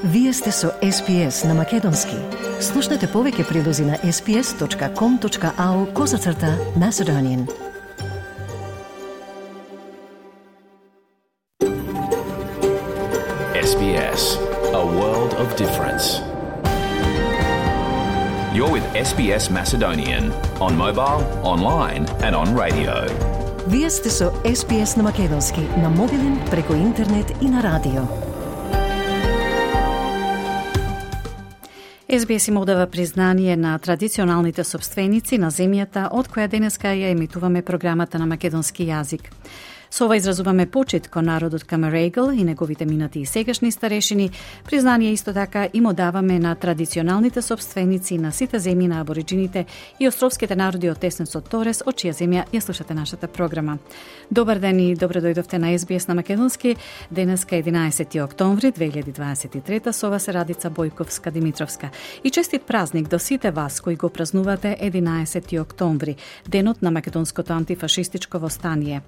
Вие сте со SPS на Македонски. Слушнете повеќе прилози на sps.com.au/Macedonian. SBS, a world of difference. You're with SBS Macedonian on mobile, online and on radio. Вие сте со SPS на Македонски на мобилен, преку интернет и на радио. SBS им одава признание на традиционалните собственици на земјата од која денеска ја емитуваме програмата на македонски јазик. Со ова изразуваме почит кон народот Камерегл и неговите минати и сегашни старешини. Признание исто така им одаваме на традиционалните собственици на сите земји на абориджините и островските народи од Теснесот Торес, од чија земја ја слушате нашата програма. Добар ден и добре дојдовте на SBS на Македонски. Денеска 11 октомври 2023, со вас е Радица Бојковска-Димитровска. И честит празник до сите вас кои го празнувате 11 октомври, денот на македонското антифашистичко востание.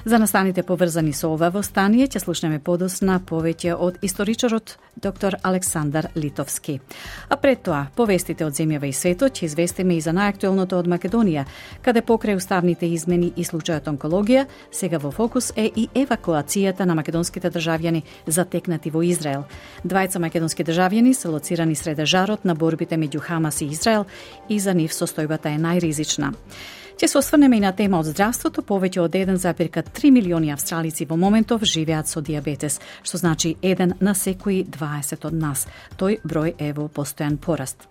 За настаните поврзани со ова востание ќе слушнеме подосна повеќе од историчарот доктор Александар Литовски. А пред тоа, повестите од земјава и светот ќе известиме и за најактуелното од Македонија, каде покрај уставните измени и случајот онкологија, сега во фокус е и евакуацијата на македонските државјани затекнати во Израел. Двајца македонски државјани се лоцирани среде жарот на борбите меѓу Хамас и Израел и за нив состојбата е најризична. Ќе се осврнеме и на тема од здравството. Повеќе од 1,3 милиони австралици во моментов живеат со дијабетес, што значи 1 на секои 20 од нас. Тој број е во постојан пораст.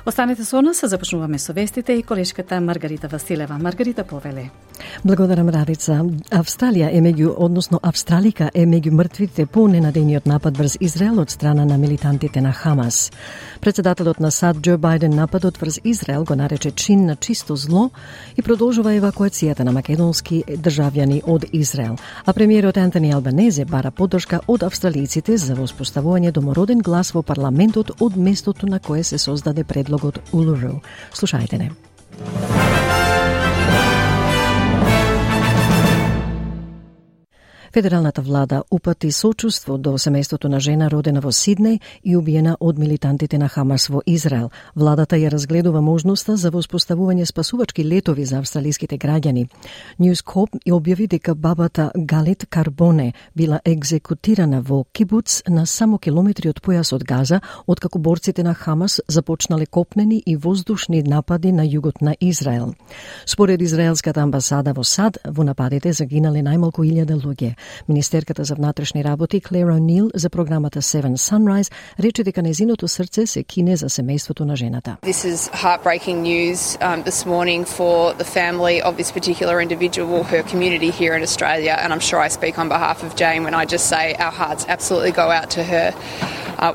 Останете со нас, започнуваме со вестите и колешката Маргарита Василева. Маргарита, повеле. Благодарам, Радица. Австралија е Австралика е меѓу мртвите по ненадејниот напад врз Израел од страна на милитантите на Хамас. Председателот на САД Џо Бајден нападот врз Израел го нарече чин на чисто зло и продолжува евакуацијата на македонски државјани од Израел. А премиерот Антони Албанезе бара поддршка од австралиците за воспоставување домороден глас во парламентот од местото на кое се создаде предлогот Улуру. Слушајте не. Федералната влада упати сочувство до семејството на жена родена во Сиднеј и убиена од милитантите на Хамас во Израел. Владата ја разгледува можноста за воспоставување спасувачки летови за австралиските граѓани. News Corp објави дека бабата Галит Карбоне била екзекутирана во кибуц на само километри од појасот Газа, откако борците на Хамас започнале копнени и воздушни напади на југот на Израел. Според израелската амбасада во САД, во нападите загинале најмалку 1000 луѓе. Министерката за внатрешни работи Клер О'Нил за програмата Seven Sunrise рече дека нејзиното срце се кине за семејството на жената. This is heartbreaking news this morning for the family of this particular individual, her community here in Australia, and I'm sure I speak on behalf of Jane when I just say our hearts absolutely go out to her.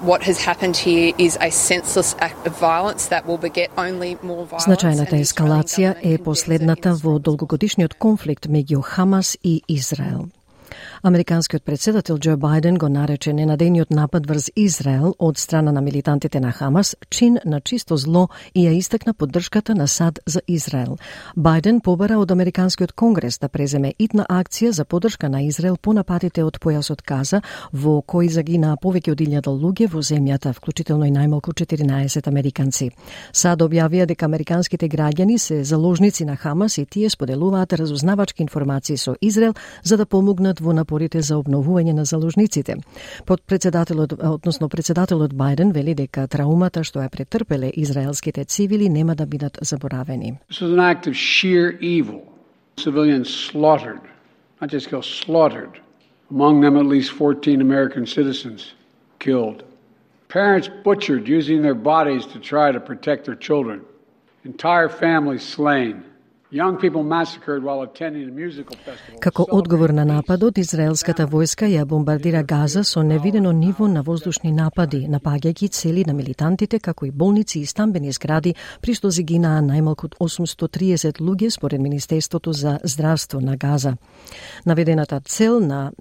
What has happened here is a senseless act of violence that will beget only more violence. Значајната ескалација е последната во долгогодишниот конфликт меѓу Хамас и Израел. Американскиот председател Џо Бајден го нарече ненадејниот напад врз Израел од страна на милитантите на Хамас чин на чисто зло и ја истакна поддршката на САД за Израел. Бајден побара од Американскиот конгрес да преземе итна акција за поддршка на Израел по нападите од појасот Газа, во кои загинаа повеќе од 1000 луѓе во земјата, вклучително и најмалку 14 американци. САД објавија дека американските граѓани се заложници на Хамас и тие споделуваат разузнавачки информации со Израел за да помогнат во напорите за обновување на заложниците. Председателот Бајден вели дека траумата што ја претрпеле израелските цивили нема да бидат заборавени. This was an act of sheer evil. Civilians slaughtered, not just killed, slaughtered. Among them at least 14 American citizens killed. Parents butchered using their bodies to try to protect their children. Entire families slain. Како одговор на нападот, израелската војска ја бомбардира Газа со невидено ниво на воздушни напади, напаѓајќи цели на милитантите, како и болници и стамбени згради, при што загинаа најмалку 830 луѓе според Министерството за здравство на Газа. Наведената цел на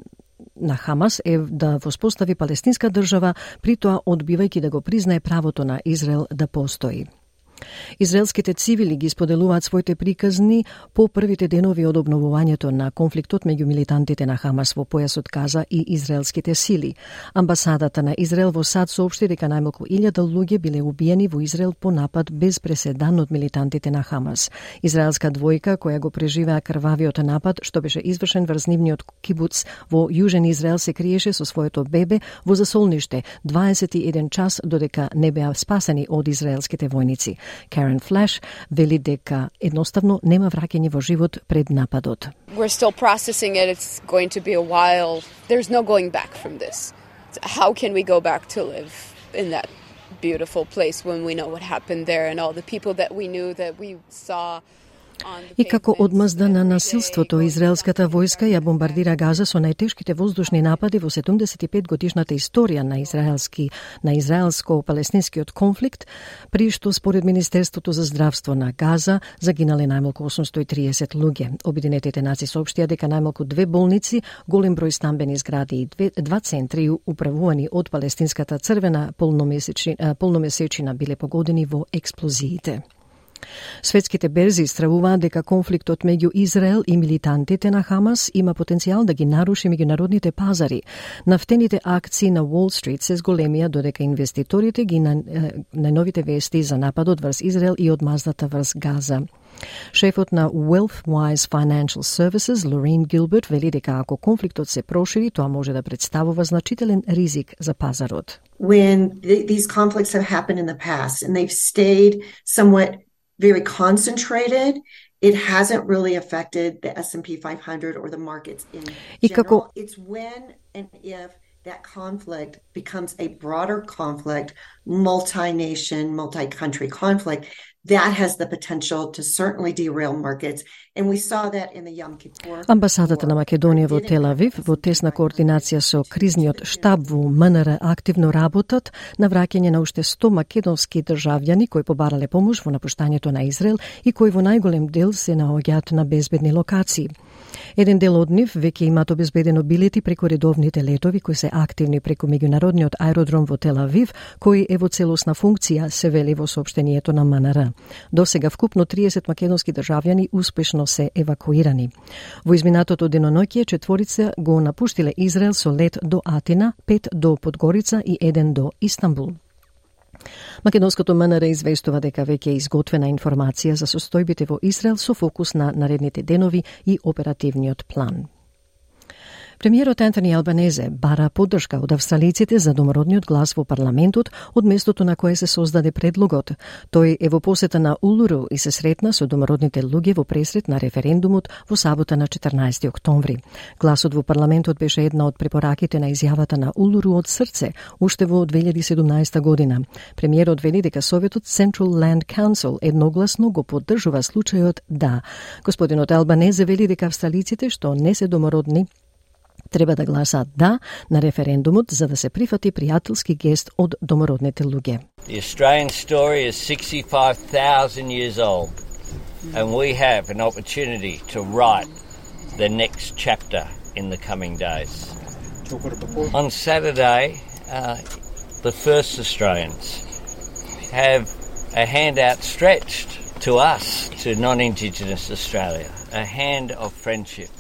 Хамас е да воспостави палестинска држава, при тоа одбивајќи да го признае правото на Израел да постои. Израелските цивили ги споделуваат своите приказни по првите денови од обновувањето на конфликтот меѓу милитантите на Хамас во појасот Газа и израелските сили. Амбасадата на Израел во САД соопшти дека најмалку 1000 луѓе биле убиени во Израел по напад без преседан од милитантите на Хамас. Израелска двојка која го преживеа крвавиот напад што беше извршен врз нивниот кибуц во Јужен Израел се криеше со своето бебе во засолниште 21 час додека не беа спасени од израелските војници. Karen Flash вели дека едноставно нема враќање во живот пред нападот. We're still processing it. It's going to be a while. There's no going back from this. How can we go back to live in that beautiful place when we know what happened there and all the people that we knew that we saw. И како одмазда на насилството, израелската војска ја бомбардира Газа со најтешките воздушни напади во 75 годишната историја на израелско-палестинскиот конфликт, при што според Министерството за здравство на Газа загинале најмалку 830 луѓе. Обединетите нации соопштија дека најмалку 2 болници, голем број стамбени згради и 2 центри управувани од палестинската црвена полномесечина биле погодени во експлозиите. Светските берзи стравуваат дека конфликтот меѓу Израел и милитантите на Хамас има потенцијал да ги наруши меѓународните пазари. Нафтените акции на Wall Street се зголемија додека инвеститорите ги најновите вести за нападот врз Израел и одмаздата врз Газа. Шефот на Wealthwise Financial Services, Lorraine Gilbert, вели дека ако конфликтот се прошири, тоа може да представува значителен ризик за пазарот. When these conflicts have happened in the past and they've stayed somewhat very concentrated, it hasn't really affected the S&P 500 or the markets in general. It's when and if that conflict becomes a broader conflict, multi-nation, multi-country conflict, that has the potential to certainly derail markets. And we saw that in the Yom Kippur. Амбасадата на Македонија во Тел Авив во тесна координација со кризниот штаб во МНР активно работат на враќање на уште 100 македонски државјани кои побарале помош во напуштањето на Израел и кои во најголем дел се наоѓаат на безбедни локации. Еден дел од нив веќе имаат обезбедено билети преку редовните летови кои се активни преку меѓународниот аеродром во Тел Авив, кој е во целосна функција, се вели во соопштението на МНР. До сега вкупно 30 македонски државјани успешно се евакуирани. Во изминатото деноноќе 4 го напуштиле Израел со лет до Атина, 5 до Подгорица и 1 до Истанбул. Македонското МНР известува дека веќе е изготвена информација за состојбите во Израел со фокус на наредните денови и оперативниот план. Премиерот Антони Албанезе бара поддршка од австралиците за домородниот глас во парламентот од местото на кое се создаде предлогот. Тој е во посета на Улуру и се сретна со домородните луѓе во пресрет на референдумот во сабота на 14 октомври. Гласот во парламентот беше една од препораките на изјавата на Улуру од срце, уште во 2017 година. Премиерот вели дека Советот Central Land Council едногласно го поддржува случајот да. Господинот Албанезе вели дека австралиците што не се домородни треба да гласаат да на референдумот за да се прифати пријателски гест од домородните луѓе. The Australian story is 65,000 years old and we have an opportunity to write the next chapter in the coming days. On Saturday, the first Australians have a hand outstretched to us, to non-Indigenous Australia, a hand of friendship.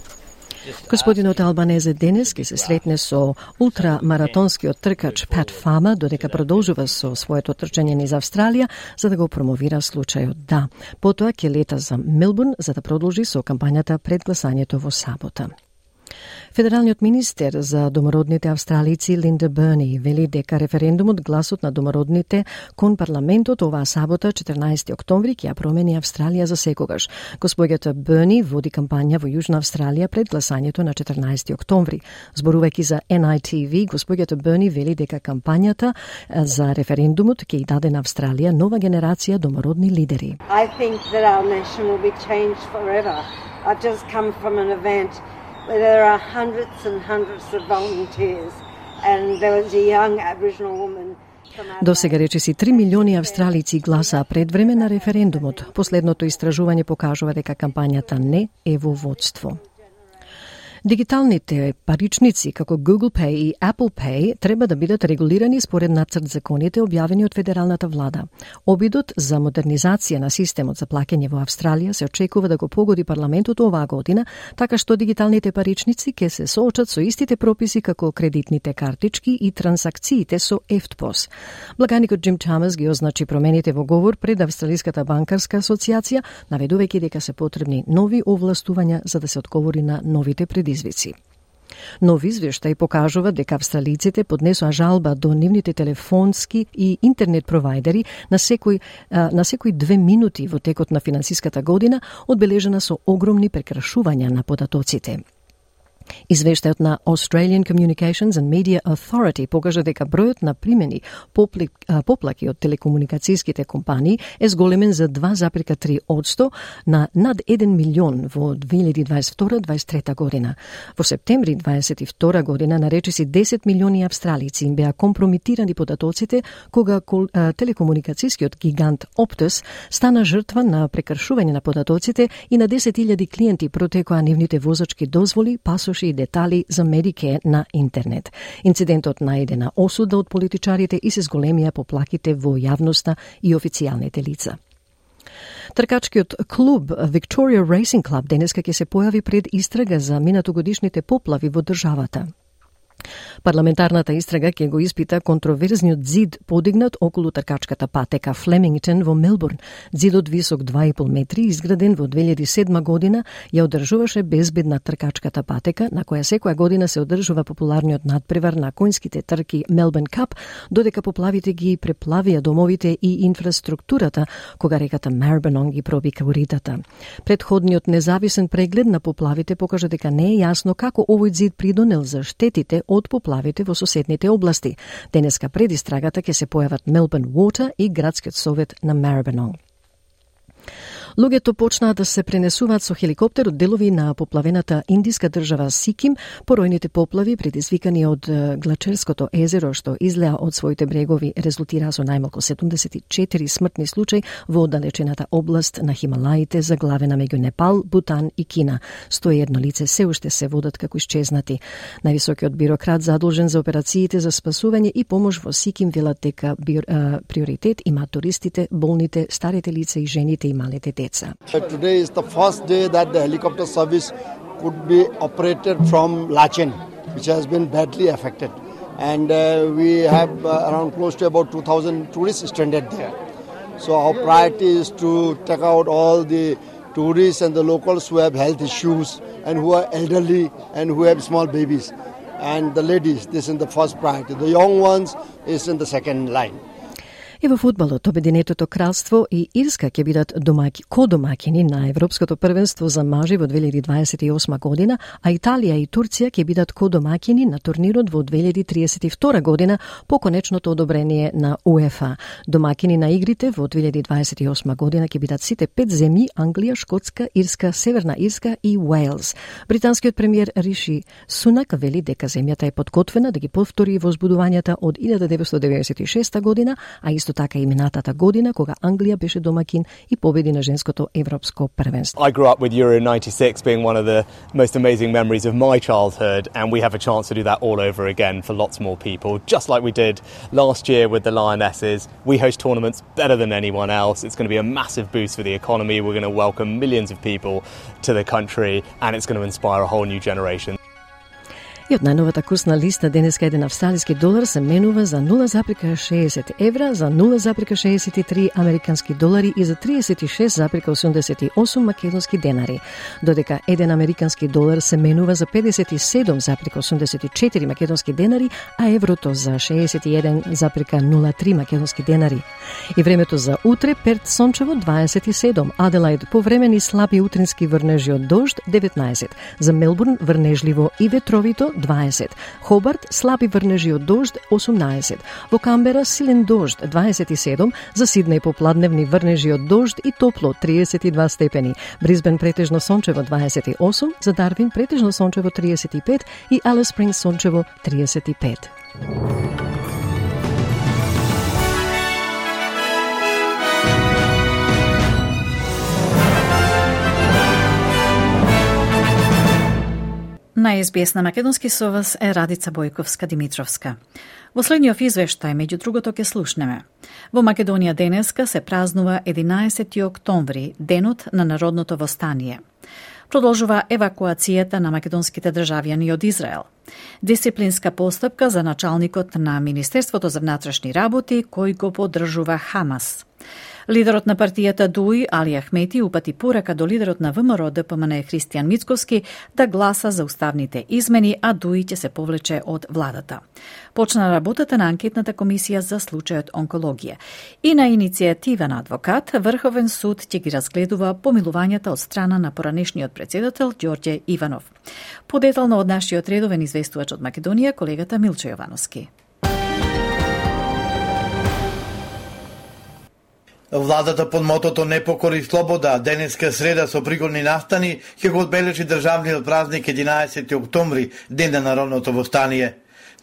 Господинот Албанезе денес ќе се сретне со ултрамаратонскиот тркач Пат Фама, додека продолжува со своето трчање низ Австралија за да го промовира случајот да. Потоа ќе лета за Мелбурн за да продолжи со кампањата пред гласањето во сабота. Федералниот министер за домородните австралици Линда Берни вели дека референдумот гласот на домородните кон парламентот оваа сабота 14 октомври ќе ја промени Австралија за секогаш. Господјата Берни води кампања во Јужна Австралија пред гласањето на 14 октомври. Зборувајќи за NITV, господјата Берни вели дека кампањата за референдумот ќе ја даде на Австралија нова генерација домородни лидери. I think that our nation will be changed forever. I've just come from an event where there are hundreds and hundreds of volunteers and there was a young Aboriginal woman. До сега речиси 3 милиони австралици гласаа пред време на референдумот. Последното истражување покажува дека кампањата не е во водство. Дигиталните паричници како Google Pay и Apple Pay треба да бидат регулирани според нацрт законите објавени од федералната влада. Обидот за модернизација на системот за плаќање во Австралија се очекува да го погоди парламентот оваа година, така што дигиталните паричници ќе се соочат со истите прописи како кредитните картички и трансакциите со EFTPOS. Благаникот Джим Чамас ги означи промените во говор пред Австралиската банкарска асоциација, наведувајќи дека се потребни нови овластувања за да се одговори на новите предизвици. Нов извештај покажува дека австралиците поднесоа жалба до нивните телефонски и интернет провајдери на секој 2 минути во текот на финансиската година, одбележена со огромни прекршувања на податоците. Извештајот на Australian Communications and Media Authority покажа дека бројот на примени поплаки од телекомуникацијските компании е зголемен за 2,3% на над 1 милион во 2022-2023 година. Во септември 2022 година наречиси 10 милиони австралици им беа компромитирани податоците кога телекомуникацијскиот гигант Optus стана жртва на прекршување на податоците и на 10.000 клиенти протекоа нивните возачки дозволи, пасоши и детали за Medicare на интернет. Инцидентот најде на осуда од политичарите и се зголемија поплаките во јавноста и официјалните лица. Тркачкиот клуб Victoria Racing Club денеска ќе се појави пред истрага за минатогодишните поплави во државата. Парламентарната истрага ќе го испита контроверзниот зид подигнат околу тркачката патека Флемингтон во Мелбурн. Зидот висок 2,5 метри, изграден во 2007 година, ја одржуваше безбедна тркачката патека, на која секоја година се одржува популарниот надпревар на коњските трки Melbourne Cup, додека поплавите ги преплавија домовите и инфраструктурата, кога реката Maribyrnong ги пробика уритата. Предходниот независен преглед на поплавите покажа дека не е јасно како овој зид придонел за штетите од поплавите во соседните области. Денеска пред истрагата ќе се појават Melbourne Water и градскиот совет на Maribyrnong. Луѓето почнаа да се пренесуваат со хеликоптер од делови на поплавената индиска држава Сиким, поројните поплави предизвикани од Глачерското езеро што излеа од своите брегови резултираа со најмалку 74 смртни случаи во оддалечената област на Хималаите, заглавена меѓу Непал, Бутан и Кина. 101 лице се уште се водат како исчезнати. Највисокиот бирократ задолжен за операциите за спасување и помош во Сиким велат дека приоритет имаат туристите, болните, старите лица и жените и малите деца. Today is the first day that the helicopter service could be operated from Lachen, which has been badly affected. And we have around close to about 2,000 tourists stranded there. So our priority is to take out all the tourists and the locals who have health issues and who are elderly and who have small babies. And the ladies, this is the first priority. The young ones is in the second line. И во фудбалот, Обединетото кралство и Ирска ќе бидат кодомаќини на Европското првенство за мажи во 2028 година, а Италија и Турција ќе бидат кодомаќини на турнирот во 2032 година по конечното одобрение на УЕФА. Домаќини на игрите во 2028 година ќе бидат сите 5 земји: Англија, Шкотска, Ирска, Северна Ирска и Уелс. Британскиот премиер Риши Сунак вели дека земјата е подготвена да ги повтори возбудувањата од 1996 година, а исто така и минатата година кога Англија беше домакин и победи на женското европско првенство. I grew up with Euro 96 being one of the most amazing memories of my childhood, and we have a chance to do that all over again for lots more people, just like we did last year with the Lionesses. We host tournaments better than anyone else. It's going to be a massive boost for the economy. We're going to welcome millions of people to the country, and it's going to inspire a whole new generation. И од најновата курсна листа денеска еден австралиски долар се менува за 0,60 евра, за 0,63 американски долари и за 36,88 македонски денари, додека еден американски долар се менува за 57,84 македонски денари, а еврото за 61,03 македонски денари. И времето за утре: Перт сончево 27, Аделаид повремени слаби утрински врнежи од дожд 19, за Мелбурн врнежливо и ветровито 20, Хобарт слаби врнежи од дожд 18, во Камбера силен дожд 27, за Сиднеј попладневни врнежи од дожд и топло 32 степени, Брисбен претежно сончево 28, за Дарвин претежно сончево 35 и Алис Спрингс сончево 35. На СБС на македонски со вас е Радица Бојковска-Димитровска. Во следниот извештај, меѓу другото, ќе слушнеме. Во Македонија денеска се празнува 11 октомври, денот на народното востание. Продолжува евакуацијата на македонските државјани од Израел. Дисциплинска постапка за началникот на Министерството за внатрешни работи, кој го поддржува Хамас. Лидерот на партијата ДУИ, Али Ахмети, упати порака до лидерот на ВМРО ДПМН Христијан Мицкоски да гласа за уставните измени, а ДУИ ќе се повлече од владата. Почна работата на анкетната комисија за случајот онкологија. И на иницијатива на адвокат, Врховен суд ќе ги разгледува помилувањата од страна на поранешниот председател Ѓорѓе Иванов. Подетално од нашиот редовен известувач од Македонија, колегата Милчо Јовановски. Владата под мотото "Не покори слобода", денеска среда со пригодни настани ќе го одбележи државниот празник 11 октомври, ден на народното востание.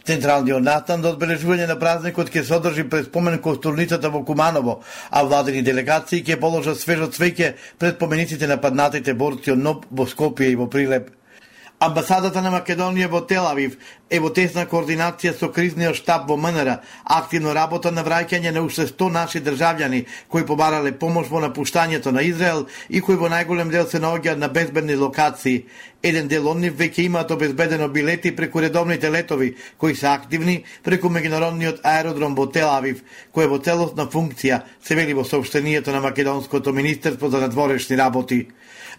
Централниот настан до одбележување на празникот ќе се одржи пред спомен костурницата во Куманово, а владени делегации ќе положат свежо цвеќе пред помениците на паднатите борци од НОБ во Скопје и во Прилеп. Амбасадата на Македонија во Тел Авив е во тесна координација со кризниот штаб во МНР, активно работа на враќање на уште 100 наши државјани кои побарале помош во напуштањето на Израел и кои во најголем дел се наоѓаат на безбедни локации. Еден дел од нив веќе имаат обезбедено билети преку редовните летови кои се активни преку меѓународниот аеродром во Тел Авив, кој е во целосна функција, се вели во соопштението на Македонското министерство за надворешни работи.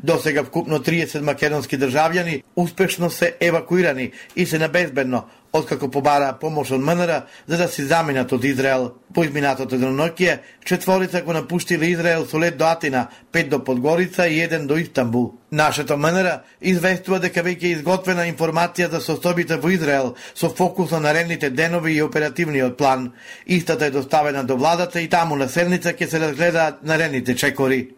До сега вкупно 30 македонски државјани успешно се евакуирани и се на безбедно, откако побараа помош од МНР за да се заминат од Израел. По изминатото деноноќие, 4 го напуштиле Израел со лет до Атина, 5 до Подгорица и 1 до Истанбул. Нашето МНР известува дека веќе е изготвена информација за состојбите во Израел со фокус на наредните денови и оперативниот план. Истата е доставена до владата и таму на седница ќе се разгледаат наредните чекори.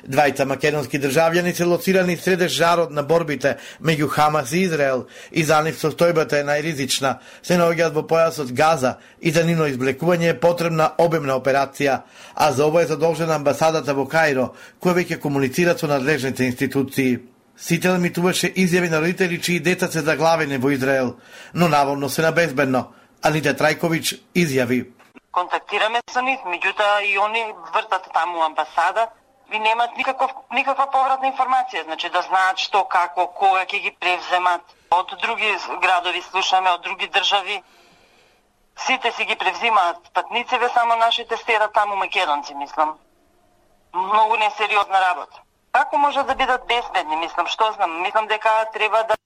Двајца македонски државјани се лоцирани средеш жарот на борбите меѓу Хамас и Израел и за нив состојбата е најризична. Се наоѓаат во појасот Газа и за нивно извлекување е потребна обемна операција, а за ова е задолжена амбасадата во Каиро, која веќе комуницира со надлежните институции. Сите емитуваше изјави на родители чии деца се заглавени во Израел, но наводно се на безбедно. Анита Трајковиќ изјави: "Контактираме со нив, меѓутоа и они вртат таму амбасада и немат никаква повратна информација, значи да знаат што, како, кога ќе ги превземат. Од други градови слушаме, од други држави. Сите си ги превзимаат патнициве, само нашите стера таму македонци, мислам. Многу несериозна работа. Како може да бидат безбедни, мислам, што знам? Мислам дека треба да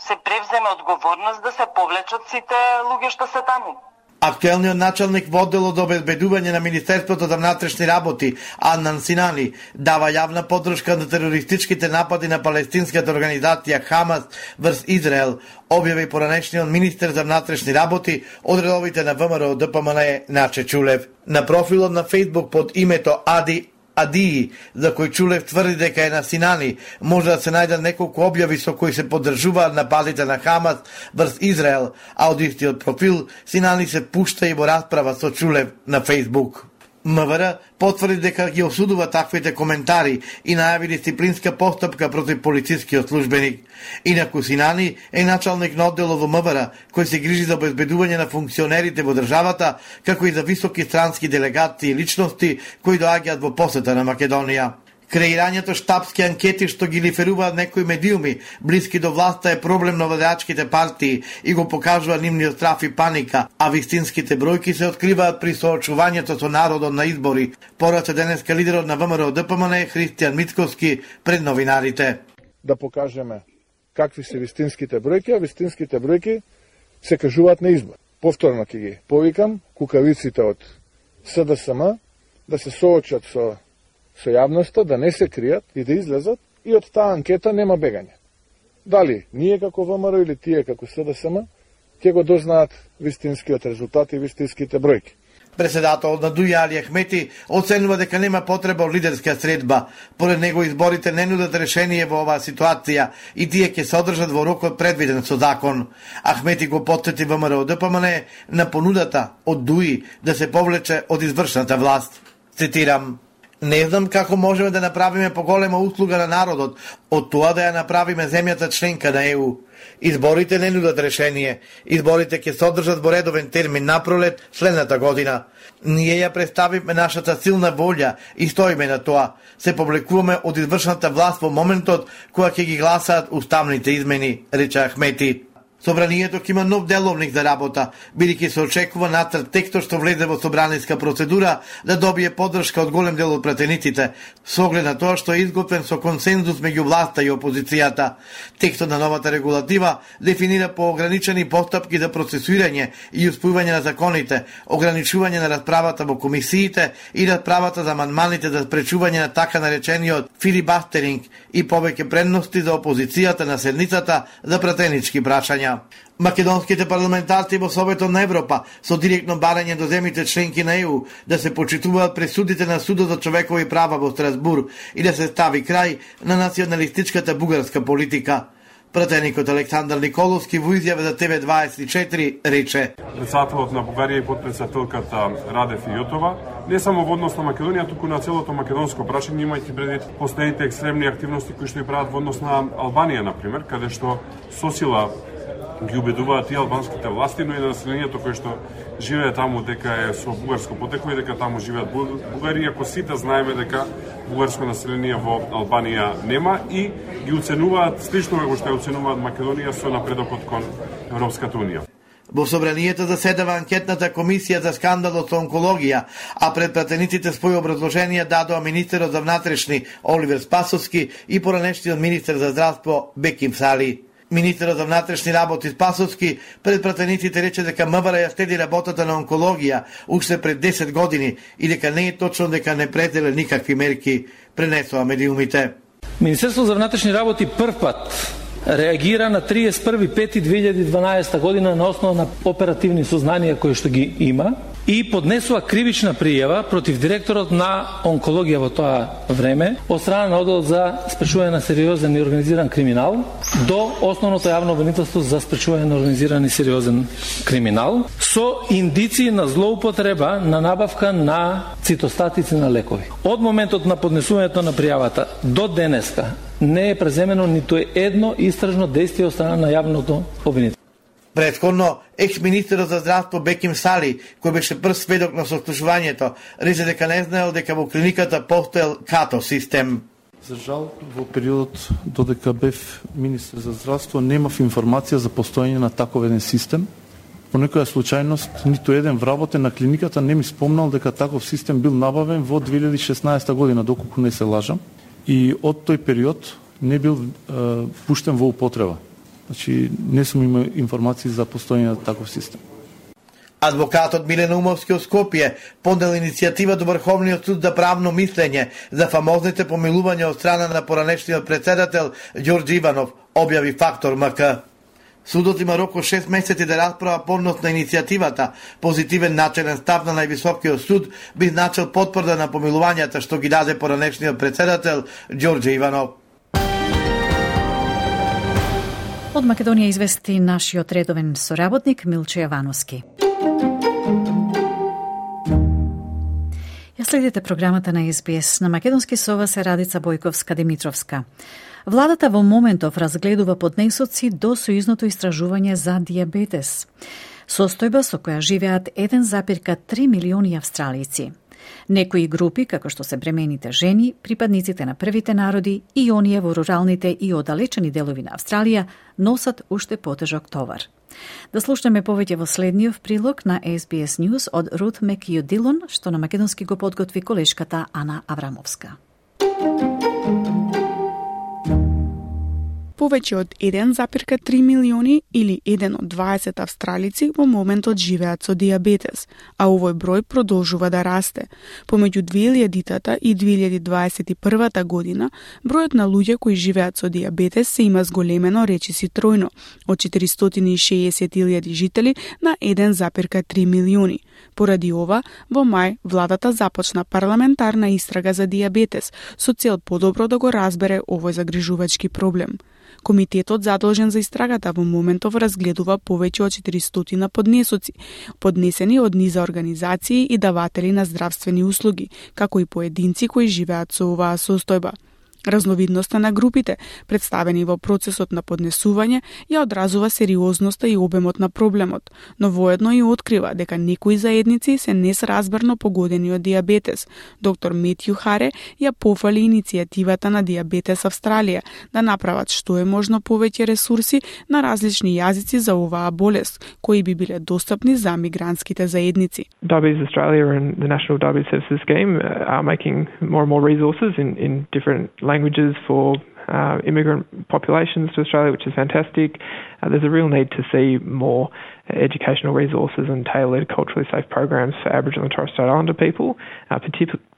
се превземе одговорност да се повлечат сите луѓе што се таму. Актуелниот началник во одделот за обезбедување на Министерството за внатрешни работи, Аннан Синани, дава јавна поддршка на терористичките напади на палестинската организација Хамас врз Израел, објави поранешниот министер за внатрешни работи од редовите на ВМРО ДПМН Наче Чулев. На профилот на Фејсбук под името Адии, за кој Чулев тврди дека е на Синани, може да се најдат неколку објави со кои се поддржуваат нападите на Хамас врз Израел, а од истиот профил Синани се пушта и во расправа со Чулев на Фејсбук. МВР потврди дека ги осудува таквите коментари и најави дисциплинска постапка против полицискиот службеник. Инаку Синани е началник на одделот во МВР, кој се грижи за обезбедување на функционерите во државата, како и за високи странски делегации и личности кои доаѓаат во посета на Македонија. Креирањето штабски анкети што ги лиферуваат некои медиуми блиски до власта е проблем на владеачките партии и го покажува нивниот страф и паника, а вистинските бројки се откриваат при соочувањето со народот на избори, порача денеска лидерот на ВМРО ДПМН Христијан Мицкоски пред новинарите. Да покажеме какви се вистинските бројки, а вистинските бројки се кажуваат на избор. Повторно ќе ги повикам кукавиците од СДСМ да се соочат со јавноста, да не се кријат и да излезат, и од таа анкета нема бегање. Дали ние како ВМРО или тие како СДСМ ќе го дознаат вистинскиот резултат и вистинските бројки. Председателот на ДУИ Али Ахмети оценува дека нема потреба од лидерска средба. Поред него изборите не нудат решение во оваа ситуација и тие ќе се одржат во рокот предвиден со закон. Ахмети го потсети ВМРО ДПМН на понудата од ДУИ да се повлече од извршната власт. Цитирам: Не знам како можеме да направиме поголема услуга на народот од тоа да ја направиме земјата членка на ЕУ. Изборите не нудат решение. Изборите ќе содржат во редовен термин напролет следната година. Ние ја представивме нашата силна волја и стоиме на тоа. Се повлекуваме од извршната власт во моментот кога ќе ги гласаат уставните измени, рече Ахмети. Собранието ќе има нов деловник за работа, бидејќи се очекува нацрт текстот што влезе во собраниска процедура да добие поддршка од голем дел од пратениците, со оглед на тоа што е изготвен со консензус меѓу власта и опозицијата. Текстот на новата регулатива дефинира поограничени постапки за процесуирање и исполнување на законите, ограничување на расправата во комисиите и расправата за амандманите за спречување на така наречениот филибастеринг и повеќе предности за опозицијата на седницата за пратенички прашања. Македонските парламентарци во Советот на Европа со директно барање до земјите членки на ЕУ да се почитуваат пресудите на Судот за човекови права во Страсбург и да се стави крај на националистичката бугарска политика. Пратеникот Александар Николовски во изјава за ТВ24 рече: Председателот на Бугарија и потпредседателката Раде Фијотова не само во однос на Македонија, туку на целото македонско прашање, имајќи предвид последните екстремни активности кои што и прават во однос на Албанија, например, каде што со сила ги убедуваат и албанските власти, но и на населението кое што живее таму дека е со бугарско потекло и дека таму живеат бугари, иако сите знаеме дека бугарско население во Албанија нема и ги оценуваат слично како што ја оценуваат Македонија со напредокот кон Европската унија. Во собранието заседава анкетната комисија за скандалот со онкологија, а пред пратениците своји образложенија дадоа министерот за внатрешни Оливер Спасовски и поранешниот министер за здравство Беким Сали. Министерот за внатрешни работи Спасовски пред пратениците рече дека МВР ја следи работата на онкологија уште пред 10 години и дека не е точно дека не пределе никакви мерки, пренесоа медиумите. Министерството за внатрешни работи првпат реагира на 31.5.2012 година на основа на оперативни сознанија кои што ги има и поднесува кривична пријава против директорот на онкологија во тоа време од страна на оддел за спречување на сериозен и организиран криминал до основното јавно обвинителство за спречување на организиран и сериозен криминал со индиции на злоупотреба на набавка на цитостатици на лекови. Од моментот на поднесувањето на пријавата до денеска не е преземено ниту едно истражно действие од страна на јавното обвинителство. Претходно, екс-министерот за здравство Беким Сали, кој беше прв сведок на сослушувањето, рече дека не знаел дека во клиниката постоел като систем. За жал, во периодот додека бев министер за здравство, немав информација за постоење на таков еден систем. По некоја случајност, ниту еден вработен на клиниката не ми спомнал дека таков систем бил набавен во 2016 година, доколку не се лажам. И од тој период не бил пуштен во употреба. Значи, не сум имал информации за постоење на таков систем. Адвокатот Милен Умовски од Скопје поднел иницијатива до Врховниот суд за правно мислење за фамозните помилувања од страна на поранешниот председател Ѓорѓе Иванов, објави Фактор МК. Судот има рок од 6 месеци да расправа поднос на иницијативата. Позитивен начелен став на највисокиот суд би значил потврда на помилувањата што ги даде поранешниот председател Ѓорѓе Иванов. Од Македонија извести нашиот редовен соработник Милче Јавановски. Ја следите програмата на СБС. На македонски со вас е Радица Бојковска-Димитровска. Владата во моментов разгледува поднесоци до сојузното истражување за дијабетес. Состојба со која живеат 1,3 милиони австралици. Некои групи, како што се бремените жени, припадниците на првите народи и оние во руралните и оддалечени делови на Австралија, носат уште потежок товар. Да слушнеме повеќе во следниот прилог на SBS News од Рут Мекју Дилон, што на македонски го подготви колешката Ана Аврамовска. Повеќе од 1,3 милиони или 1 од 20 австралици во моментот живеат со дијабетес, а овој број продолжува да расте. Помеѓу 2000-та и 2021 година, бројот на луѓе кои живеат со дијабетес се има зголемено речиси тројно, од 460.000 жители на 1,3 милиони. Поради ова, во мај, владата започна парламентарна истрага за дијабетес, со цел подобро да го разбере овој загрижувачки проблем. Комитетот задолжен за истрагата во моментов разгледува повеќе од 400 поднесоци, поднесени од низа организации и даватели на здравствени услуги, како и поединци кои живеат со оваа состојба. Разновидноста на групите, представени во процесот на поднесување, ја одразува сериозноста и обемот на проблемот, но воедно и открива дека некои заедници се несразберно погодени од дијабетес. Доктор Метју Харе ја пофали иницијативата на Дијабетес Австралија да направат што е можно повеќе ресурси на различни јазици за оваа болест, кои би биле достапни за мигрантските заедници. Diabetes Australia and the National Diabetes Services Scheme are making more and more resources in different languages for immigrant populations to Australia, which is fantastic. There's a real need to see more educational resources and tailored culturally safe programs for Aboriginal and Torres Strait Islander people,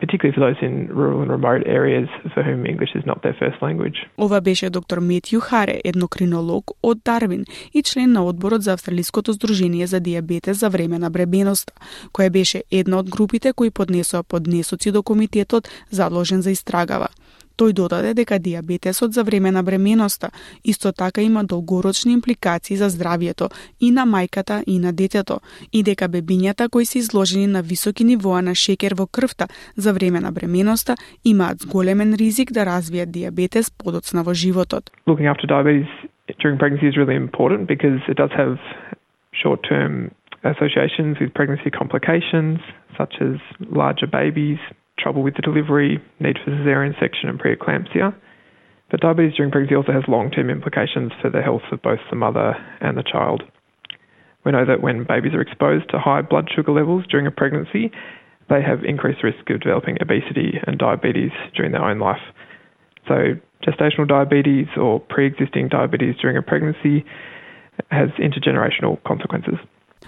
particularly for those in rural and remote areas for whom English is not their first language. Ова беше доктор Метју Харе, еднокринолог од Дарвин и член на одборот за Австралиското здружение за дијабетес за време на бременоста, која беше една од групите кои поднесоа поднесоци до комитетот задолжен за истрагава. Тој додаде дека дијабетесот за време на бременоста исто така има долгорочни импликации за здравјето и на мајката и на детето, и дека бебињата кои се изложени на високи нивоа на шеќер во крвта за време на бременоста имаат зголемен ризик да развијат дијабетес подоцна во животот. Looking after diabetes during pregnancy is really important because it does have short-term associations with pregnancy complications such as larger babies, trouble with the delivery, need for caesarean section and preeclampsia. But diabetes during pregnancy also has long-term implications for the health of both the mother and the child. We know that when babies are exposed to high blood sugar levels during a pregnancy, they have increased risk of developing obesity and diabetes during their own life. So gestational diabetes or pre-existing diabetes during a pregnancy has intergenerational consequences.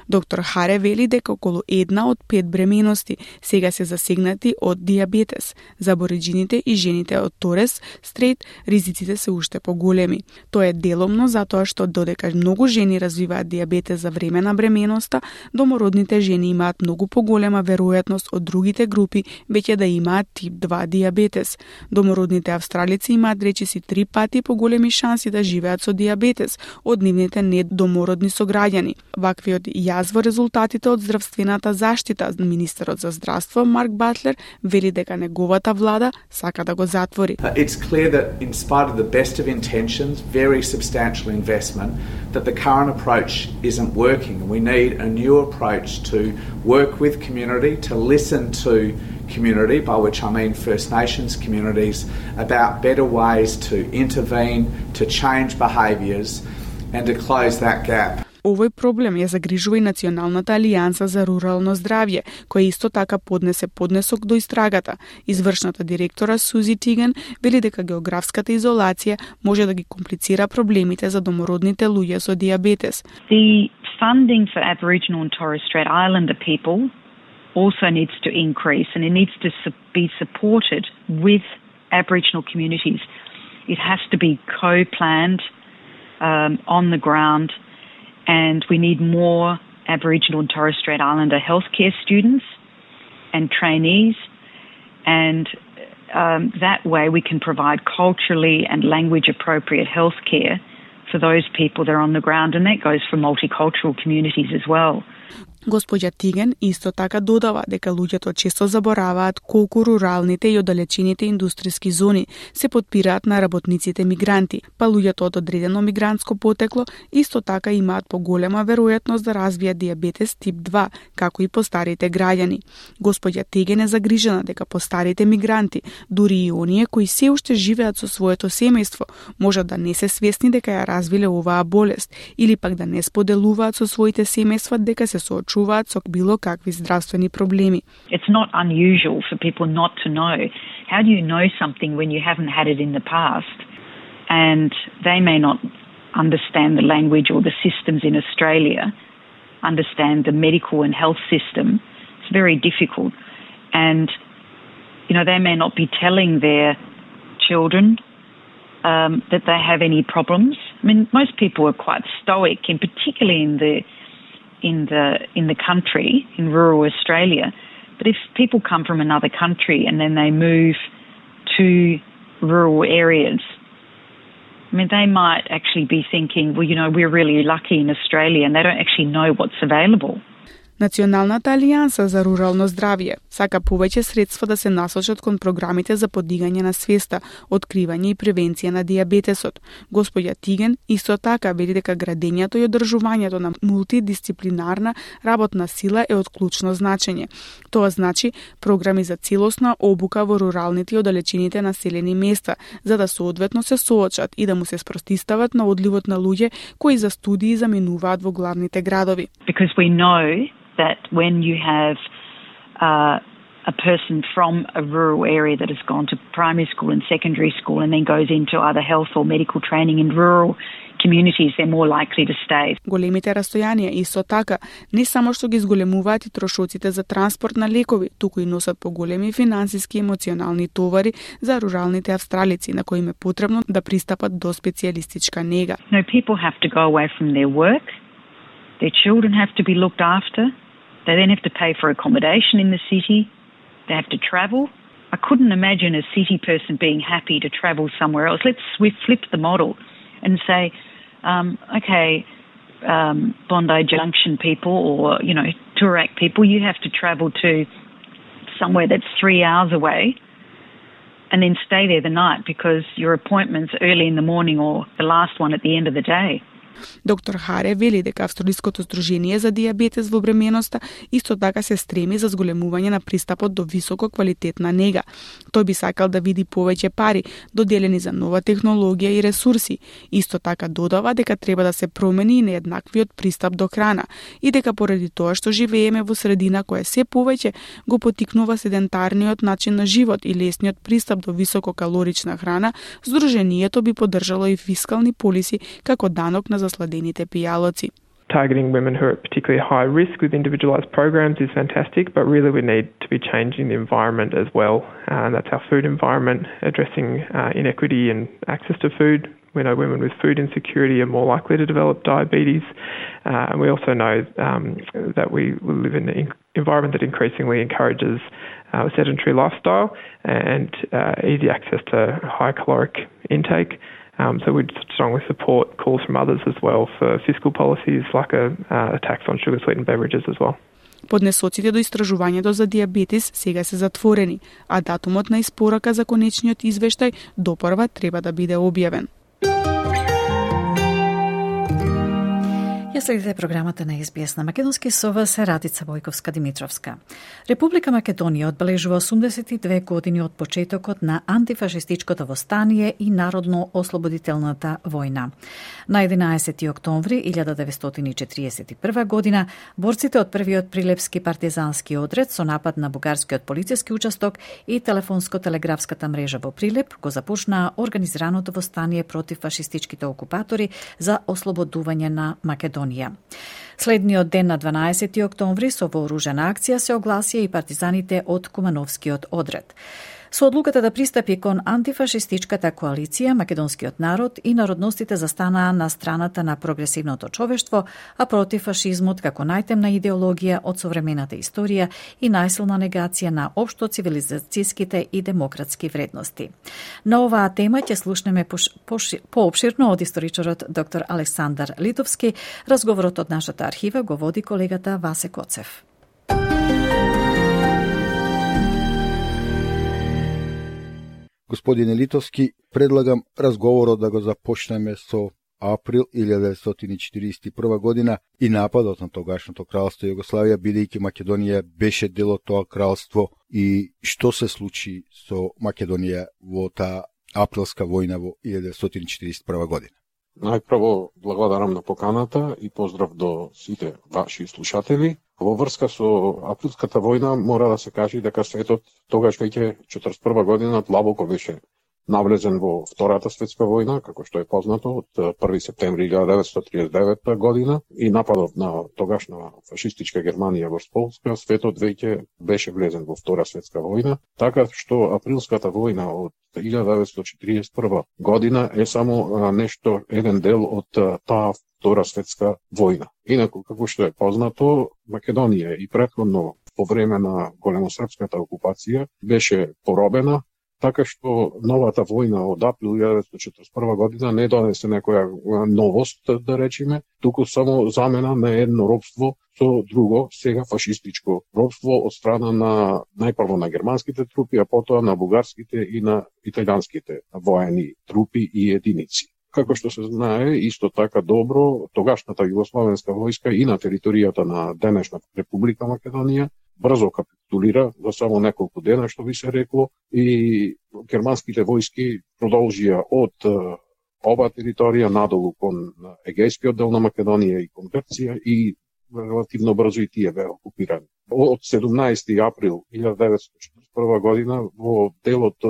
Доктор Харе вели дека околу 1 од 5 бременности сега се засегнати од дијабетес. За абориџините и жените од Торес Стрейт ризиците се уште поголеми. Тоа е деломно затоа што додека многу жени развиваат дијабетес за време на бременоста, домородните жени имаат многу поголема веројатност од другите групи веќе да имаат тип 2 дијабетес. Домородните австралици имаат речиси 3 пати поголеми шанси да живеат со дијабетес од нивните недомородни сограѓани. Ваквиот јас во резултатите од здравствената заштита, министерот за здравство Марк Батлер вели дека неговата влада сака да го затвори. It's clear that in spite of the best of intentions, very substantial investment, that the current approach isn't working. We need a new approach to work with community, to listen to community, by which I mean First Nations communities, about better ways to intervene, to change behaviours and to close that gap. Овој проблем ја загрижува и Националната алијанса за рурално здравје, која исто така поднесе поднесок до истрагата. Извршната директора Сузи Тиган вели дека географската изолација може да ги комплицира проблемите за домородните луѓе со дијабетес. The funding for Aboriginal and Torres Strait Islander people also needs to increase, and it needs to be supported with Aboriginal communities. It has to be co-planned on the ground, and we need more Aboriginal and Torres Strait Islander healthcare students and trainees, and that way we can provide culturally and language appropriate healthcare for those people that are on the ground, and that goes for multicultural communities as well. Госпоѓа Тиген исто така додава дека луѓето често забораваат колку руралните и оддалечените индустријски зони се потпираат на работниците мигранти, па луѓето од одредено мигрантско потекло исто така имаат поголема веројатност да развијат дијабетес тип 2, како и постарите граѓани. Госпоѓа Тиген е загрижена дека постарите мигранти, дури и оние кои се уште живеат со своето семејство, можат да не се свесни дека ја развиле оваа болест или пак да не споделуваат со своите семејства дека се соочуваат со било какви здравствени проблеми. It's not unusual for people not to know. How do you know something when you haven't had it in the past? And they may not understand the language or the systems in Australia, understand the medical and health system. It's very difficult. And, you know, they may not be telling their children that they have any problems. I mean, most people are quite stoic, and particularly in the country, in rural Australia. But if people come from another country and then they move to rural areas, I mean, they might actually be thinking, well, you know, we're really lucky in Australia, and they don't actually know what's available. Националната алијанса за рурално здравје сака повеќе средства да се насочат кон програмите за подигање на свеста, откривање и превенција на дијабетесот. Господја Тиген исто така вели дека градењето и одржувањето на мултидисциплинарна работна сила е од клучно значење. Тоа значи програми за целосна обука во руралните и оддалечените населени места, за да соодветно се соочат и да му се спротистават на одливот на луѓе кои за студии заминуваат во главните градови. Because we know that when you have a person from a rural area that has gone to primary school and secondary school and then goes into either health or medical training in rural communities, they're more likely to stay. Големите растојанија исто така не само што ги зголемуваат и трошоците за транспорт на лекови, туку и носат поголеми финансиски и емоционални товари за руралните австралици на кои им е потребно да пристапат до специјалистичка нега. No, people have to go away from their work. Their children have to be looked after. They then have to pay for accommodation in the city. They have to travel. I couldn't imagine a city person being happy to travel somewhere else. Let's flip the model and say, Bondi Junction people or, you know, Toorak people, you have to travel to somewhere that's 3 hours away and then stay there the night because your appointment's early in the morning or the last one at the end of the day. Доктор Харе вели дека Австралиското здружение за дијабетес во бременоста исто така се стреми за зголемување на пристапот до високо квалитетна нега. Тој би сакал да види повеќе пари доделени за нова технологија и ресурси. Исто така додава дека треба да се промени и нееднаквиот пристап до храна и дека поради тоа што живееме во средина која се повеќе го потикнува седентарниот начин на живот и лесниот пристап до висококалорична храна, здружението би поддржало и фискални полиси како данок на засладените пијалоци. Targeting women who are at particularly high risk with individualised programs is fantastic, but really we need to be changing the environment as well. And that's our food environment, addressing inequity and access to food. We know women with food insecurity are more likely to develop diabetes. And we also know that we live in an environment that increasingly encourages a sedentary lifestyle and easy access to high caloric intake. So we'd strongly support calls from others as well for fiscal policies like a tax on sugar-sweetened beverages as well. Поднесоците до истражувањето за дијабетес сега се затворени, а датумот на испорака за конечниот извештај допрва треба да биде објавен. Ја следите програмата на СБС на македонски со вас Радица Војковска-Димитровска. Република Македонија одбележува 82 години од почетокот на антифашистичкото востание и народно-ослободителната војна. На 11. октомври 1941 година борците од првиот прилепски партизански одред со напад на бугарскиот полициски участок и телефонско-телеграфската мрежа во Прилеп го започнаа организираното востание против фашистичките окупатори за ослободување на Македонија. Следниот ден на 12. октомври со вооружена акција се огласија и партизаните од Кумановскиот одред. Со одлуката да пристапи кон антифашистичката коалиција, македонскиот народ и народностите застанаа на страната на прогресивното човештво, а против фашизмот како најтемна идеологија од современата историја и најсилна негација на општо цивилизацијските и демократски вредности. На оваа тема ќе слушнеме поопширно од историчарот доктор Александар Литовски. Разговорот од нашата архива го води колегата Васе Коцев. Господине Литовски, предлагам разговорот да го започнеме со април 1941 година и нападот на тогашното кралство Југославија, бидејќи Македонија беше дел од тоа кралство, и што се случи со Македонија во таа априлска војна во 1941 година. Најпрво благодарам на поканата и поздрав до сите ваши слушатели. Во врска со априлската војна мора да се каже дека светот тогаш веќе 41 година длабоко беше навлезен во Втората светска војна, како што е познато, од 1 септември 1939 година и нападот на тогашна фашистичка Германија во Полска, светот веќе беше влезен во Втора светска војна, така што априлската војна од 1941 година е само еден дел од таа Втора светска војна. Инаку, како што е познато, Македонија и претходно по време на големосрпската окупација беше поробена, така што новата војна од април 1941 година не донесе некоја новост, да речеме, туку само замена на едно робство со друго, сега фашистичко робство од страна на најпрво на германските трупи, а потоа на бугарските и на италијанските воени трупи и единици. Како што се знае, исто така добро, тогашната југословенска војска и на територијата на денешната Република Македонија брзо капитулира за само неколку дена, што би се рекло, и германските војски продолжија од ова територија надолу кон Егејскиот дел на Македонија и кон Грција и релативно брзо и тие беа окупирани. Од 17. април 1941 година во делот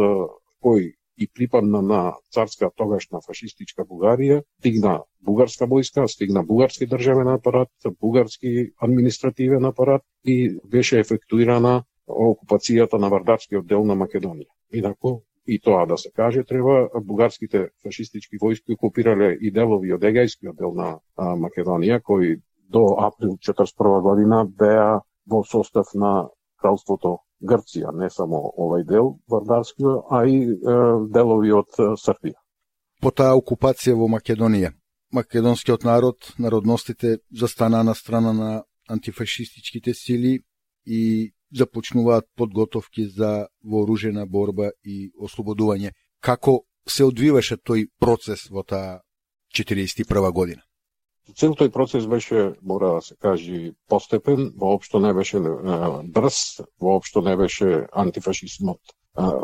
кој и припадна на царска тогашна фашистичка Бугарија, стигна бугарска војска, стигна бугарски државен апарат, бугарски административен апарат и беше ефектуирана окупацијата на вардарскиот дел на Македонија. Инаку, и тоа да се каже, треба, бугарските фашистички војски окупирале и делови од Егејскиот дел на Македонија, кои до април 1941 година беа во состав на кралството Грција, не само овај дел вардарскиот, а и делови од Србија. По таа окупација во Македонија, македонскиот народ, народностите застана на страна на антифашистичките сили и започнуваат подготовки за вооружена борба и ослободување. Како се одвиваше тој процес во таа 41 година? Цел тој процес беше, мора да се каже, постепен, воопшто не беше брз, воопшто не беше антифашизмот,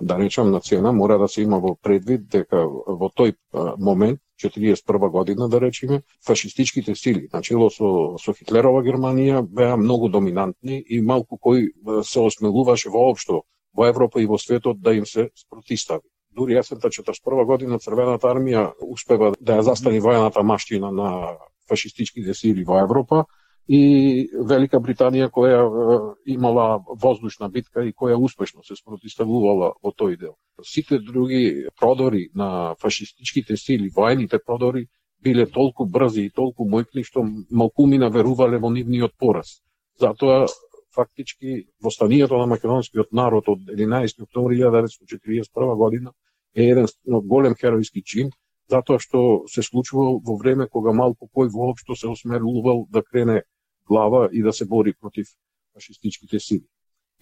да речам, на цена. Мора да се има во предвид дека во тој момент, 41 година, да речеме, фашистичките сили, начело со Хитлерова Германија, беа многу доминантни и малку кој се осмелуваше воопшто во Европа и во светот да им се спротистави. Дури есента 41 година Црвената армија успева да ја застани војната маштина на фашистичките сили во Европа и Велика Британија, која имала воздушна битка и која успешно се спротиставувала во тој дел. Сите други продори на фашистичките сили, воените продори, биле толку брзи и толку мојкни што малкумина верувале во нивниот пораз. Затоа, фактички, востанието на македонскиот народ од 11. октомври 1941 година е еден голем херојски чин, затоа што се случувал во време кога малку кој воопшто се осмелувал да крене глава и да се бори против фашистичките сили.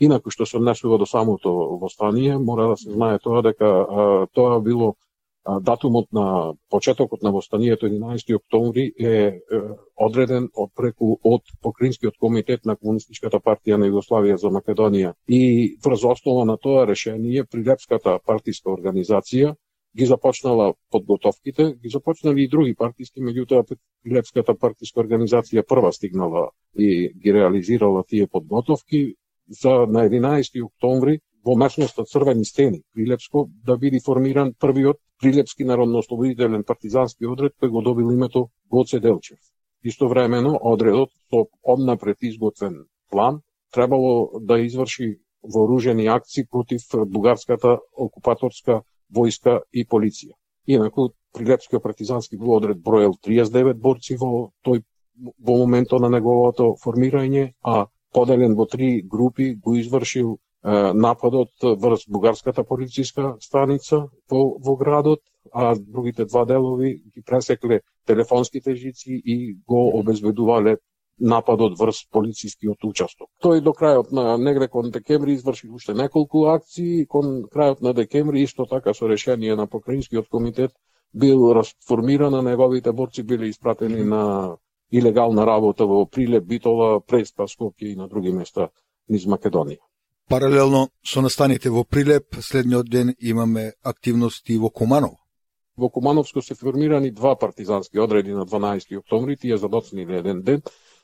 Инаку што се однесува до самото востание, мора да се знае тоа дека тоа било датумот на почетокот на востанието 11. октомври е одреден од Покринскиот комитет на Комунистичката партија на Југославија за Македонија и врз основа на тоа решение Прилепската партиска организација ги започнала подготовките, ги започнали и други партиски, меѓутоа Прилепската партиска организација прва стигнала и ги реализирала тие подготовки за на 11. октомври во местноста Црвени стени, Прилепско, да биде формиран првиот Прилепски народно-ослободителен партизански одред кој го добил името Гоце Делчев. Истовремено, одредот со однапред изготвен план требало да изврши вооружени акции против бугарската окупаторска војска и полиција. Инаку, Прилепскиот партизански одред броел 39 борци во моментот на неговото формирање, а поделен во 3 групи го извршил нападот врз бугарската полициска станица во градот, а другите 2 делови ги пресекле телефонските жици и го обезбедувале нападот врз полицискиот участок. Тој до крајот на негде кон декември изврши уште неколку акции, кон крајот на декември исто така со решение на Покринскиот комитет бил расформиран, неговите борци биле испратени на илегална работа во Прилеп, Битола, Преспа, Скопје и на други места низ Македонија. Паралелно со настаните во Прилеп, следниот ден имаме активности во Куманово. Во Кумановско се формирани 2 партизански одреди на 12. октомври, тие задоцниле еден ден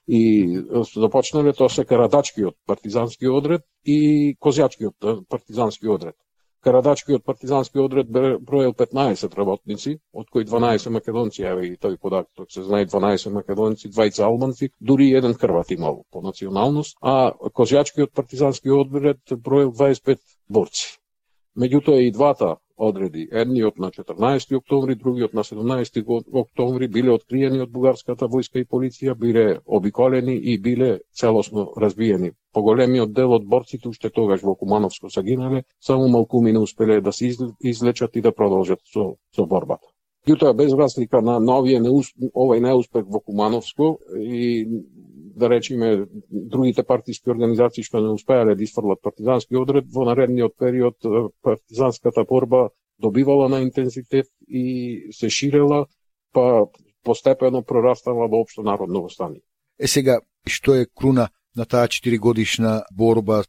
и започнале тоа се Карадачкиот партизански одред и Козјачкиот партизански одред. Карадачкиот партизански одред броел 15 работници, од кои 12 македонци, еве и тој податок се знае, 12 македонци, 2 албанци, дури еден хрват имал по националност, а Козјачкиот партизански одред броел 25 борци. Меѓутоа и двата одреди, едниот на 14 октомври, другиот на 17 октомври, биле откриени од бугарската војска и полиција, биле обиколени и биле целосно разбиени. Поголемиот дел од борците уште тогаш во Кумановско загинале, само малкуми не успеле да се излечат и да продолжат со борбата. Меѓутоа, без разлика на овој неуспех во Кумановско и да речеме другите партиски организации што не успеале да изфрлат партизански одред, во наредниот период партизанската борба добивала на интензитет и се ширела, па постепено прорастала во општо народно востание. Сега, што е круна на таа 4-годишна борба?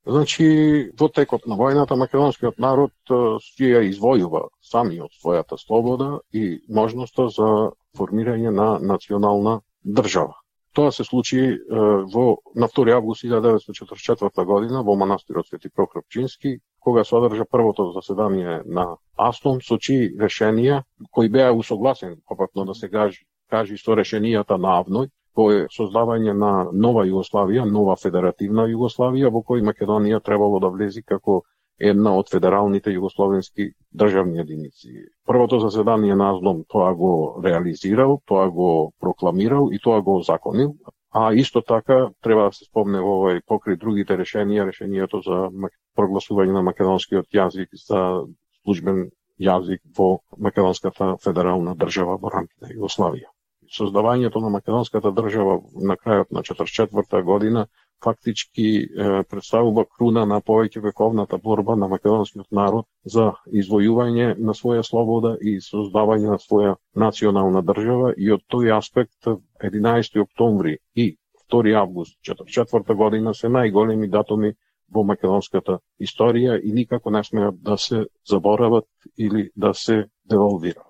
Значи, во текот на војната македонскиот народ си ја извојува самиот својата слобода и можноста за формирање на национална држава. Тоа се случи на 2 август 1944 година во манастирот Свети Прокоп Пчински, кога се одржа првото заседание на АСНОМ со чии решенија кои беа усогласени, попатно да се кажи со решенијата на АВНОј, кој е создавање на нова Југославија, нова федеративна Југославија, во кој Македонија требало да влези како една од федералните југословенски државни единици. Првото заседание на АСНОМ тоа го реализирал, тоа го прокламирал и тоа го озаконил, а исто така треба да се спомне во покри другите решението за прогласување на македонскиот јазик за службен јазик во македонската федерална држава во рамките на Југославија. Создавањето на македонската држава на крајот на 1944 година фактички представува круна на повеќе вековната борба на македонскиот народ за извојување на своја слобода и создавање на своја национална држава, и од тој аспект 11 октомври и 2 август 1944 година се најголеми датуми во македонската историја и никако не смеат да се заборават или да се девалвираат.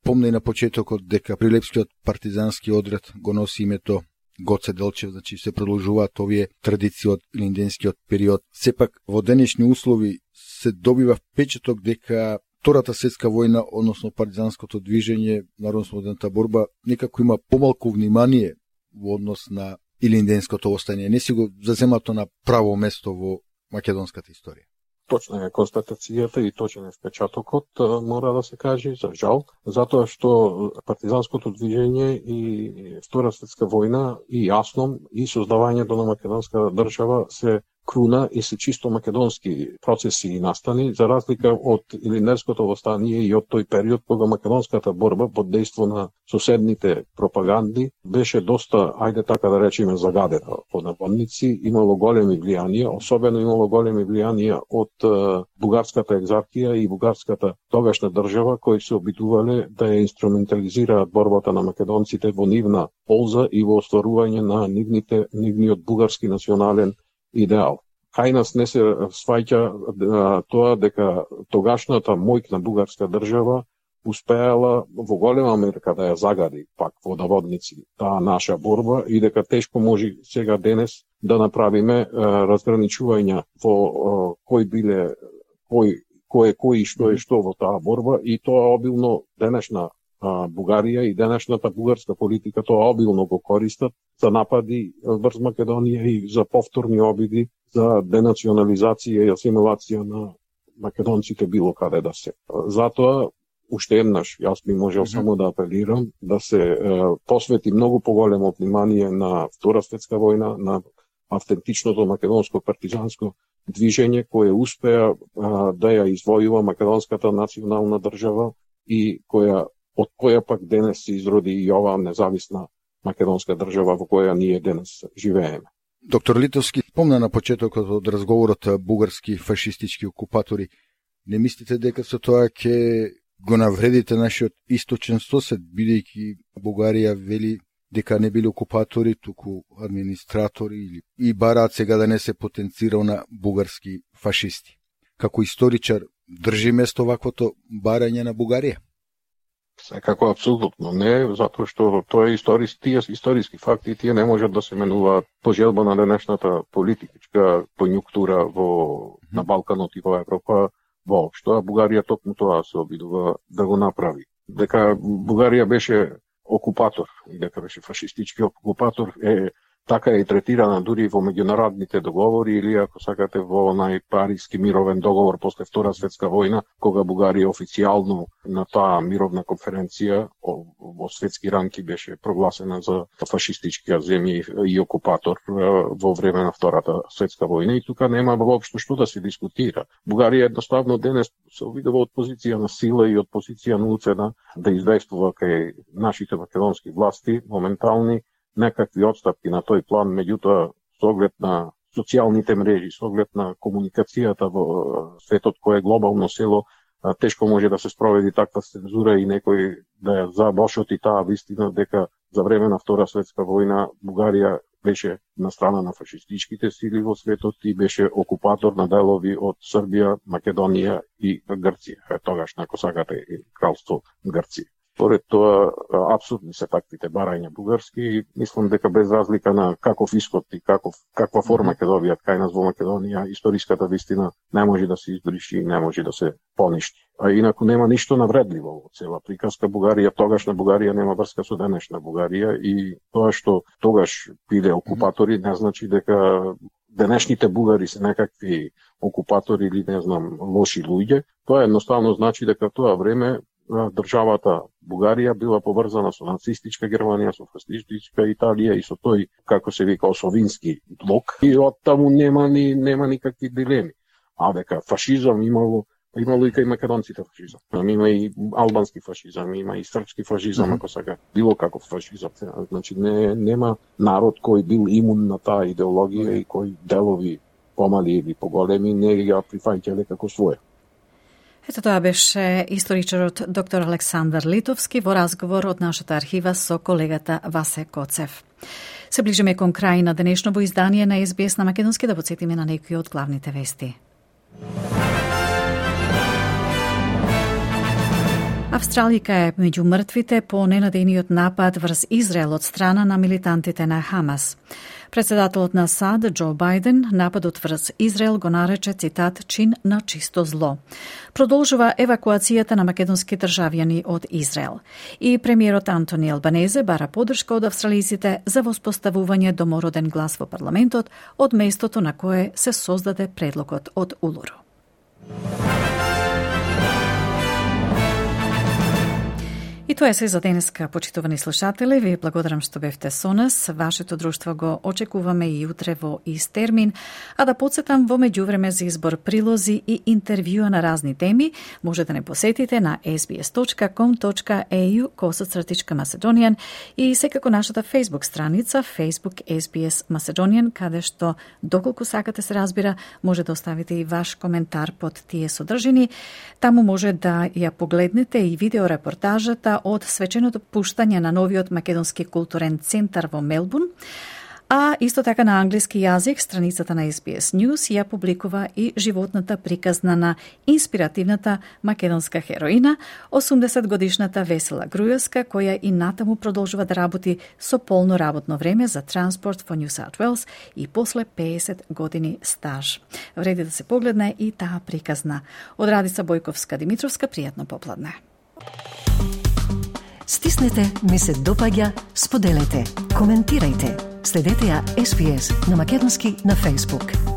Помне на почетокот дека Прилепскиот партизански одред го носи името Гоце Делчев, значи се продолжуваат овие традиции од илинденскиот период. Сепак во денешни услови се добива впечаток дека Втората светска војна, односно партизанското движење, народно-ослободената борба, некако има помалку внимание во однос на илинденското остание. Не си го заземато на право место во македонската историја. Точна е констатацијата и точен е впечатокот, мора да се каже, за жал, затоа што партизанското движење и Втора светска војна и АСНОМ и создавањето на македонска држава се круна и се чисто македонски процеси и настани, за разлика од илинденското востание и од тој период кога македонската борба под дејство на соседните пропаганди беше доста, ајде така да речеме, загадена под наводници, имало големи влијанија, особено имало големи влијанија од бугарската екзархија и бугарската тогашна држава, кои се обидувале да ја инструментализираат борбата на македонците во нивна полза и во остварување на нивниот бугарски национален идеал. Кај нас не се сваќа тоа дека тогашната мојна бугарска држава успеала во голема мерка да ја загади пак во наводници таа наша борба и дека тешко може сега денес да направиме разграничување во кој и што е што во таа борба, и тоа обилно денешна Бугарија и денешната бугарска политика тоа обилно го користат за напади врз Македонија и за повторни обиди за денационализација и асимилација на македонците било каде да се. Затоа, уште еднаш, јас би можел само да апелирам да се посвети многу поголемо внимание на Втора светска војна, на автентичното македонско партизанско движење кое успеа да ја извојува македонската национална држава и од која пак денес се изроди и оваа независна македонска држава во која ние денес живееме. Доктор Литовски, спомна на почетокот од разговорот бугарски фашистички окупатори. Не мислите дека со тоа ќе го навредите нашиот источен сосед, бидејќи Бугарија вели дека не били окупатори, туку администратори и бараат сега да не се потенцирал на бугарски фашисти? Како историчар, држи место ваквото барање на Бугарија? Секако апсолутно не, затоа што тоа е тие историски факти, тие не можат да се менуваат по желба на денешната политичка конјунктура на Балканот и во Европа воопшто, а Бугарија токму тоа се обидува да го направи. Дека Бугарија беше окупатор и дека беше фашистички окупатор е така е и третирана дури во меѓународните договори или ако сакате во Париски мировен договор после Втора светска војна, кога Бугарија официјално на таа мировна конференција во светски ранки беше прогласена за фашистичка земја и окупатор во време на Втората светска војна и тука нема воопшто што да се дискутира. Бугарија едноставно денес се обидува од позиција на сила и од позиција на уцена да известува кај нашите македонски власти моментални некакви отстапки на тој план, меѓутоа со оглед на социјалните мрежи, со оглед на комуникацијата во светот кој е глобално село, тешко може да се спроведи таква цензура и некој да ја забошоти таа вистина дека за време на Втора светска војна Бугарија беше на страна на фашистичките сили во светот и беше окупатор на делови од Србија, Македонија и Грција. Тогаш, ако сакате, и кралство Грција. Поред тоа, апсурдни се таквите барања бугарски и мислам дека без разлика на каков исход и каква форма ќе добијат кај нас во Македонија, историската вистина не може да се избриши и не може да се поништи. А инаку нема ништо навредливо во цела приказка. Бугарија, тогашна Бугарија нема врска со денешна Бугарија и тоа што тогаш биде окупатори не значи дека денешните бугари се некакви окупатори или не знам лоши луѓе. Тоа едноставно значи дека тоа време државата Бугарија била поврзана со нацистичка Германија, со фашистичка Италија и со тој, како се вика, осовински блок. И од таму нема никакви дилеми. А дека фашизам имало и кај македонците фашизам. Има и албански фашизам, има и српски фашизам, ако сака, било каков фашизам. Значи нема народ кој бил имун на таа идеологија и кој делови помали или поголеми не ја прифаќале како своја. Ето тоа беше историчарот доктор Александар Литовски во разговор од нашата архива со колегата Васе Коцев. Се ближиме кон крај на денешното издание на СБС на македонски, да потсетиме на некои од главните вести. Австралика е меѓу мртвите по ненадејниот напад врз Израел од страна на милитантите на Хамас. Председателот на САД, Џо Бајден, нападот врз Израел го нарече, цитат, чин на чисто зло. Продолжува евакуацијата на македонски државјани од Израел. И премиерот Антони Албанезе бара поддршка од австралиците за воспоставување домороден глас во парламентот од местото на кое се создаде предлогот од Улуру. И тоа е се за денеска, почитувани слушатели. Ви благодарам што бевте со нас. Вашето друштво го очекуваме и утре во ист термин. А да подсетам, во меѓувреме за избор прилози и интервјуа на разни теми, може да не посетите на sbs.com.au/Macedonian и секако нашата Facebook страница Facebook SBS Macedonian, каде што, доколку сакате се разбира, може да оставите и ваш коментар под тие содржини. Таму може да ја погледнете и видеорепортажата од свеченото пуштање на новиот македонски културен центар во Мелбурн, а исто така на англиски јазик страницата на SBS News ја публикува и животната приказна на инспиративната македонска хероина, 80-годишната Весела Груевска, која и натаму продолжува да работи со полно работно време за Transport for New South Wales и после 50 години стаж. Вреди да се погледне и таа приказна. Од Радица Бојковска Димитровска, пријатно попладне. Стиснете, ми се допаѓа, споделете, коментирајте. Следете ја SBS на македонски на Facebook.